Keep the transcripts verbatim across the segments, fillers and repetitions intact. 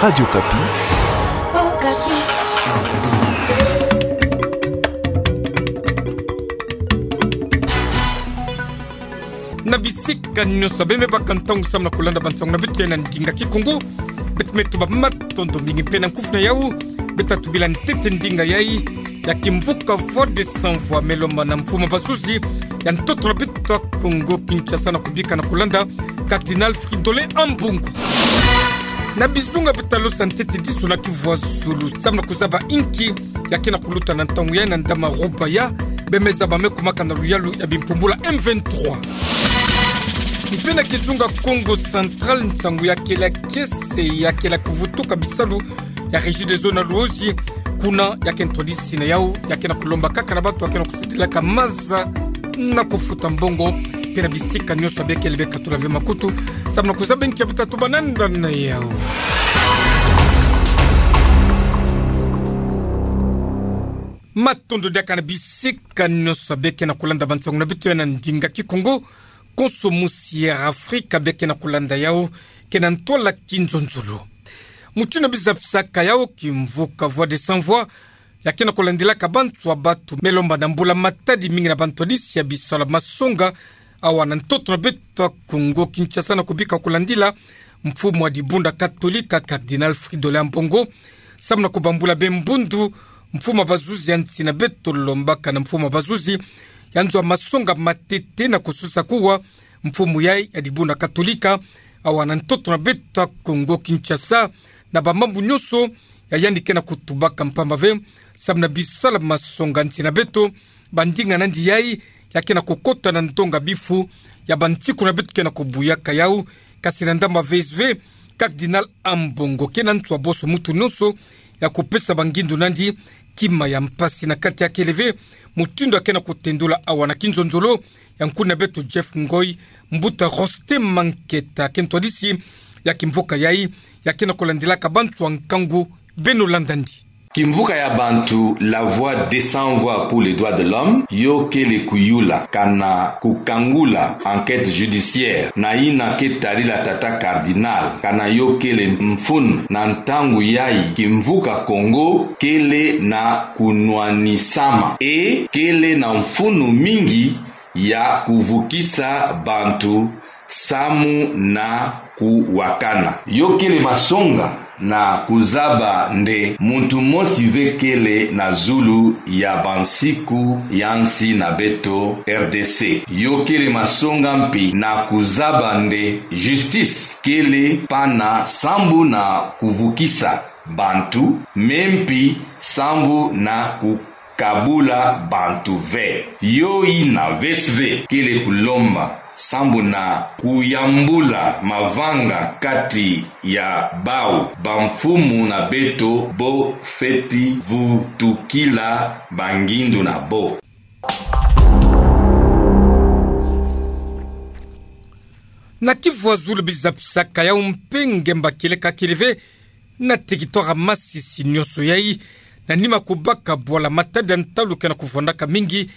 Radio Okapi. Okapi. Na bisika nyonso abe me baka ntangu samu na kulanda bansangu na beto ya na ndinga Kikongo, beto me tuba matondo mingi mpe na nkufi na yau, beto tatubi la ntete ndinga yai, ya kimvuka Voix des Sans Voix me lomba na mfumu bazuzi ya ntoto na beto Kongo Kinshasa na kubika na kulanda Cardinal Fridolin Ambongo. Na bizunga beto talosa ntete disu na kivwazulu samu na kuzaba inki ya ke na kuluta na ntangu yai na ndama Rubaya, be me zaba me kumaka na luyalu ya bimpumbulu ya M vingt-trois. Mpe na kizunga Kongo Central, nsangu ya kele kiese ya kele kuvutuka bisalu ya Régie des Eaux na Luozi, kuna ya ke ntwadisi na yau ya ke na kulomba kaka na bantu ya ke na kusadilaka maza na kufuta mbongo, mpe na bisika nyonso abe kele be katula ve makutu samu na kuzaba inki ya beto tatuba na nda na yau. Matondo diaka na bisika nyonso abe ke na kulanda bansangu na beto ya na ndinga Kikongo. Konso musi ya Afrika abe ke na kulanda yau, ke na ntwala kinzonzolo. Mutindu bizapisaka yau, kimvuka Voix des Sans Voix ya ke na kulandilaka bantu ya batu me lomba na mbula matadi mingi na bantwadisi ya bisalu ya masonga awa na ntoto na beto Kongo Kinshasa na kubika kulandila mfumu wa dibundu Katolika Cardinal Fridolin Ambongo samu na kubambula be mbundu mfumu bazuzi ya nsi na beto, lombaka na mfumu bazuzi ya nzo ya masonga matete na kusosa kuwa mfumu yai ya dibundu Katolika awa na ntoto na beto Kongo Kinshasa, na bamambu nyonso ya yandi ke na kutubaka mpamba ve samu na bisalu ya masonga nsi na beto. Bandinga na yandi yai ya ke na kukota na ndonga bifu ya bansiku na beto ke na kubuyaka yau, kasi na ndambu ya V S V, Cardinal Ambongo ke na ntu ya boso muntu nyonso ya kupesa bangindu na yandi kima ya mpasi na kati ya kele ve mutindu ya ke na kutendula awa na kinzonzolo ya nkuna beto Jeff Ngoi, mbuta Roste Manketa, ke ntwadisi ya kimvuka yai ya ke na kulandilaka bantu ya nkangu. Beno landa yandi. Kimvuka ya bantu La Voix des Sans Voix pour les Droits de l'Homme yo kele kuyula kana kukangula enquête judiciaire na yina ke tarila tata cardinal kana yo kele mfunu na ntangu yai kimvuka Kongo kele na kunwanisama e kele na mfunu mingi ya kuvukisa bantu samu na kuwakana. Yo kele masonga na kuzaba nde muntu mosi ve kele na zulu ya bansiku ya nsi na beto R D C. Yo kele masonga mpi na kuzaba nde justice kele pana sambu na kuvukisa bantu, me mpi sambu na ku kabula bantu ve. Yo yina V S V kele kulomba sambu na kuyambula mavanga kati ya bau bamfumu na beto bo feti vutukila bangindu na bo. Na kivwazulu bizapisaka yau mpe ngemba kieleka kele ve na territoire Masisi nyonso yai, na nima kubaka bwala matadi ya ntalu ke na kuvwandaka mingi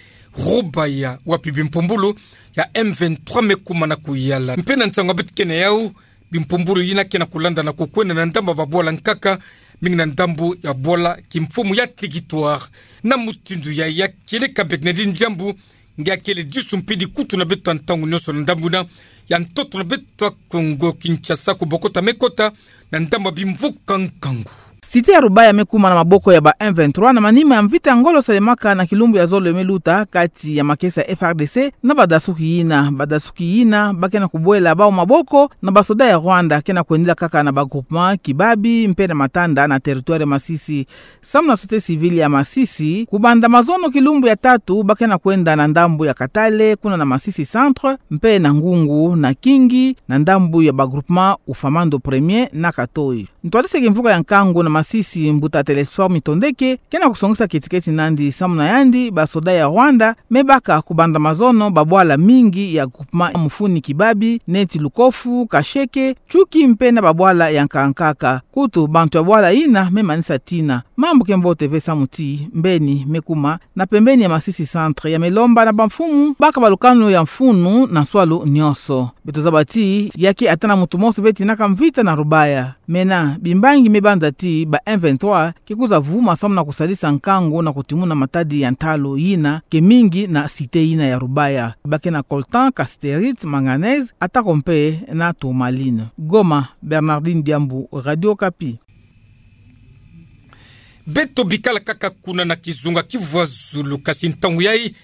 Rubaya, wapi bimpumbulu ya M vingt-trois me kuma na kuyala. Mpe na nsangu ya beto ke na yau, bimpumbulu yina ke na kulanda na kukwenda na ndambu ya babwala nkaka, mingi na ndambu ya bwala kimfumu ya territoire. Na mutindu yai ya kieleka, Bernardine Diambu nge akele disu mpe dikutu na beto ya ntangu nyonso na ndambu yina ya ntoto na beto ya Kongo Kinshasa, kubokota me kota na ndambu ya bimvuka nkangu. Cité ya Rubaya me kuma na maboko ya ba M vingt-trois na manima ya mvita ya ngolo salemaka na kilumbu ya zole me luta kati ya makesa ya F A R D C na badasuki yina. Badasuki yina ba ke na kubwela bau maboko na basoda ya Rwanda ke na kwendela kaka na ba groupement Kibabi mpe na Matanda na territoire Masisi. Samu na société civile ya Masisi, kubanda mazono kilumbu ya tatu ba ke na kwenda na ndambu ya Katale, kuna na Masisi Centre, mpe na ngungu na Kingi, na ndambu ya ba groupement Ufamando Premier na Katoi. Ntwadisi ya kimvuka ya nkangu na Masisi mbuta Télésphore Mitondeke, ke na kusongisa ketiketi nandi samu na yandi, basoda ya Rwanda me baka kubanda mazono babwala mingi ya groupement Mufuni Kibabi, neti Lukofu, Kasheke, Tshuki mpe na babwala ya nkaka nkaka. Kutu bantu ya bwala yina me manisa tina. Mambu ke mbote ve samu ti mbeni me kuma na pembeni ya Masisi Centre ya me lomba na bamfumu baka ba lukanu ya mfunu na nswalu nyonso. Beto zaba ti ya ke ata na muntu mosi ve tinaka mvita na Rubaya. Mena, bimbangi me banza ti ba M vingt-trois ke kwiza vuma samu na kusadisa nkangu na kutimuna matadi ya ntalu yina ke mingi na cité yina ya Rubaya. Ba ke na coltan, cassiterite, manganèse, atako mpe na tourmaline. Goma, Bernardine Diambu, Radio Okapi. Beto bikala kaka kuna na kizunga kivwa zulu, kasi ntangu yayi,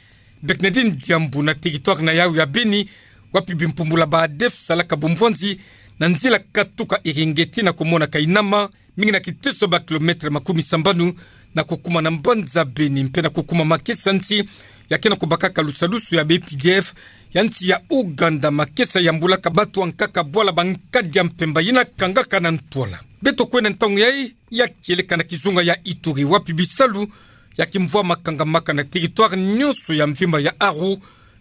Bernardine Diambu, na territoire na yawu ya Beni, wapi bimpumbula ba ADF salaka bumvwanzi na nzila katuka Eringeti na kumona Kainama, mingi na kiteso ba kilomètre makumi sambanu na kukuma na mbanza Beni mpe na kukuma makesa nsi ya ke na kubakaka lusalusu ya ba U P D F ya nsi ya Ouganda, makesa yambulaka batu ya nkaka bwala ba nkadi ya mpemba yina kangaka na ntwala. Beto kwenda ntangu yayi ya kieleka na kizunga ya Ituri, wapi bisalu ya kimvwama kangamaka na territoire nyonso ya mvimba ya Aru,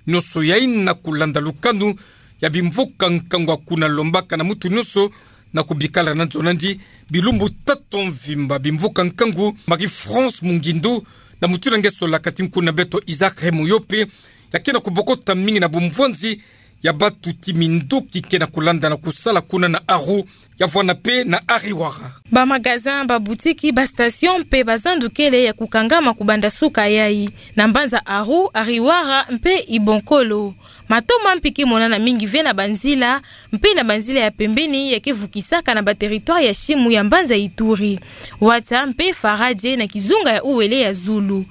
nyonso yayi na kulanda lukanu ya bimvuka nkangu ya kuna lombaka na muntu nyonso na kubikala na nzo nandi bilumbu tatu mvimba. Bimvuka nkangu, Marie-France Mungindu, na mutindu nge solaka ti nkuna beto Isaac Remoyope, ya ke na kubokota mingi na bumvwanzi ya batu ti minduki ke na kulanda na kusala kuna na Aru, ya vwanda mpe na Ariwara. Ba magasin, ba boutique, ba station mpe ba zandu kele ya kukangama kubanda suka yayi na mbanza Aru, Ariwara mpe Ibonkolo. Mato mampi ke monana mingi ve na banzila, mpe na banzila ya pembeni ya ke vukisaka na ba territoire ya simu ya mbanza Ituri, Ouattara mpe Faradje na kizunga ya Uele ya zulu.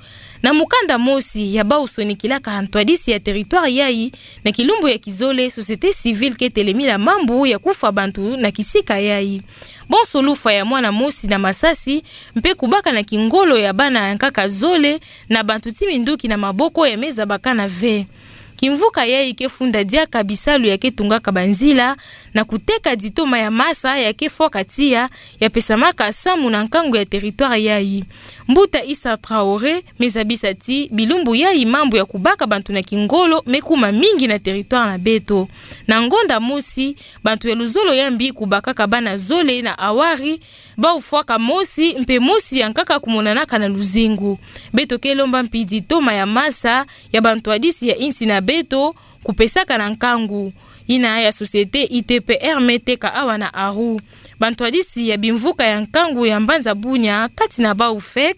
Na mukanda mosi ya bawu sonikilaka ha ntwadisi ya territoire yayi, na kilumbu ya kizole, société civile ke telemila mambu ya kufwa bantu na kisika yayi. Bonso lufwa ya mwana mosi na masasi, mpe kubaka na kingolo ya bana ya nkaka zole na bantu ti minduki na maboko ya me zabakana ve. Kimvuka yayi ke funda diaka bisalu ya ke tungaka banzila, na kuteka ditoma ya masa ya ke fwaka tiya, ya pesamaka samu na nkangu ya territoire yayi. Mbuta Issa Traoré me zabisa ti bilumbu yayi mambu ya kubaka bantu na kingolo me kuma mingi na territoire na beto. Na ngonda mosi, bantu ya luzolo ya mbi kubakaka bana zole na awari, bawu fwaka mosi, mpe mosi ya nkaka kumonanaka na luzingu. Beto ke lomba mpi ditoma ya masa ya bantwadisi ya insi na beto, kupesaka na nkangu. Yina ya société I T P R me teka awa na Aru. Bantwadisi ya bimvuka ya nkangu ya mbanza Bunia, kati na bawu FEC,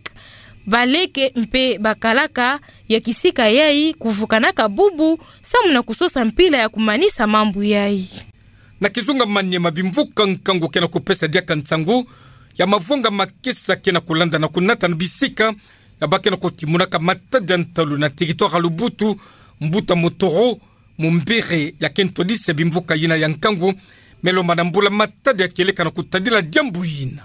baleke mpe bakalaka ya kisika yayi kuvukanaka bubu, samu na kusosa mpila ya kumanisa mambu yayi. Na kizunga Maniema, bimvuka nkangu ke na kupesa diaka nsangu ya mavwanga makesa ke na kulanda na kunata na bisika ya ba ke na kutimunaka matadi ya ntalu na territoire ya Lubutu. Mbuta Motoro Mumbere, ya ke ntwadisi ya bimvuka yina ya nkangu, me lomba na mbula matadi ya kieleka na kutadila diambu yina.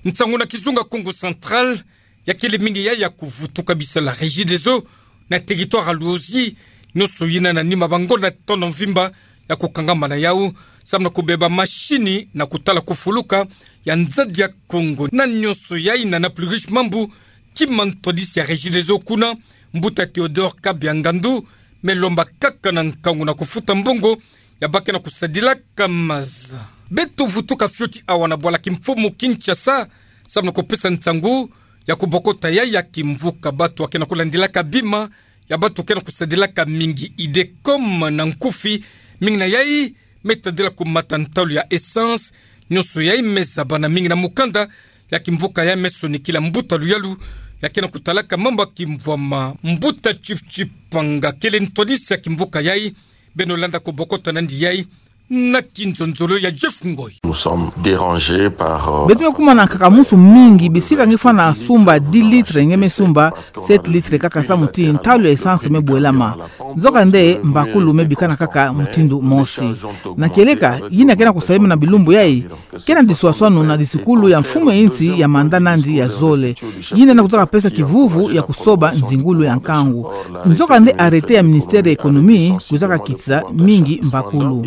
Nsangu na kizunga Kongo Central, ya kele mingi yayi ya kuvutuka bisalu ya Regideso na territoire ya Luozi, nyonso yina na nima ba ngonda tono mvimba ya kukangama na yawu, samu na kubeba mashini na kutala kufuluka ya nzadi ya Kongo. Na nyonso yayi na na plus riche mambu, kima ntwadisi ya Regideso kuna, mbuta Théodore Kabiangandu, me lomba kaka na nkangu na kufuta mbongo ya ba ke na kusadilaka maza. Beto vutuka fioti awa na bwala kimfumu Kinshasa, samu na kupesa nsangu ya kubokota yayi ya kimvuka. Batu ya ke na kulandilaka bima ya batu ke na kusadilaka mingi Idecom na nkufi, mingi na yayi me tadila kumata ntalu ya essence. Nyonso yayi me zabana mingi na mukanda ya kimvuka yayi me sonikila mbuta Luyalu ya ke na kutalaka mambu ya kimvwama. Mbuta Chief Chipanga kele ntwadisi ya kimvuka yayi, beno landa kubokota nandi yayi na kinzonzolo ya Jeff Ngoy. Nous sommes dérangés par, euh, beto me kuma na nkakamusu mingi, bisika nge fwana sumba dix litres nge me sumba sept litres kaka samu ti ntalu ya essence me bwelama. Nzokande mbakulu me bikana kaka mutindu mosi. Na kieleka, yina ke na kusalema na bilumbu yayi ke na diswaswanu na disikulu ya mfumu ya insi ya manda nandi ya zole, yina na kuzaka pesa kivuvu ya kusoba nzingulu ya nkangu. Nzokande arrêté ya ministère ya économie kuzaka kitisa mingi mbakulu.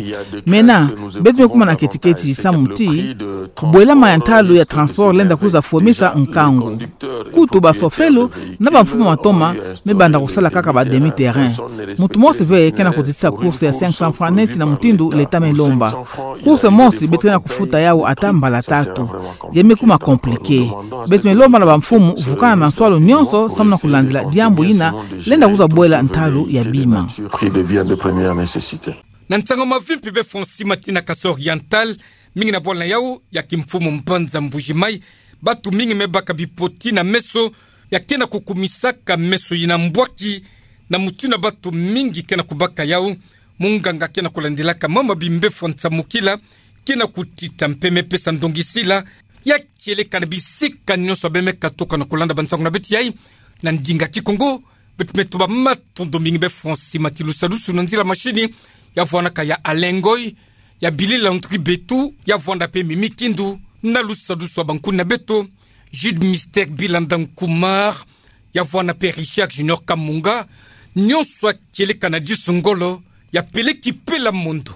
Mena, beto me kuma na keti-keti samu ti bwelama ya ntalu ya transport lenda kuza fwemisa nkangu. Kutu bashofelu na bamfumu matoma me banda kusala kaka ba demi-terrain. Muntu mosi ve kena kuditisa course ya cinq cents francs neti na mutindu l'État me lomba. Course mosi beto kena kufuta yau ata mbala tatu. Ya me kuma compliqué. Beto me lomba na bamfumu vukana na nswalu nyonso samu na kulandila diambu yina lenda kuza bwela ntalu ya bima. Na nsangu mavimpi be fwa nsi mati na Kasaï Oriental, mingi na bwala na yau ya kimfumu mbanza Mbuji-Mayi, bantu mingi me baka bipoti na meso, ya kena kukumisaka meso yina mbwaki, na mutindu bantu mingi kena kubaka yau, munganga kena kulandilaka mama bimbe fwa nsamukila, kena kutita mpe me pesa ndongisila, ya kieleka na bisika nyonso bê me katuka na kulanda bansangu na beto yai, na ndinga Kikongo, beto me tuba matondo mingi be fwa nsi mati lusadusu na nzila mashini, ya vwanaka ya Alain Ngoy, ya Billy Landry Betu, ya vwanda mpe Mimi Kindu, na lusadusu ya bankuna beto, Jude Mister Bilanda Nkumar, ya vwanda mpe Richard Junior Kamunga, nyonso ya kieleka na disu ngolo, ya peleki pela mondo.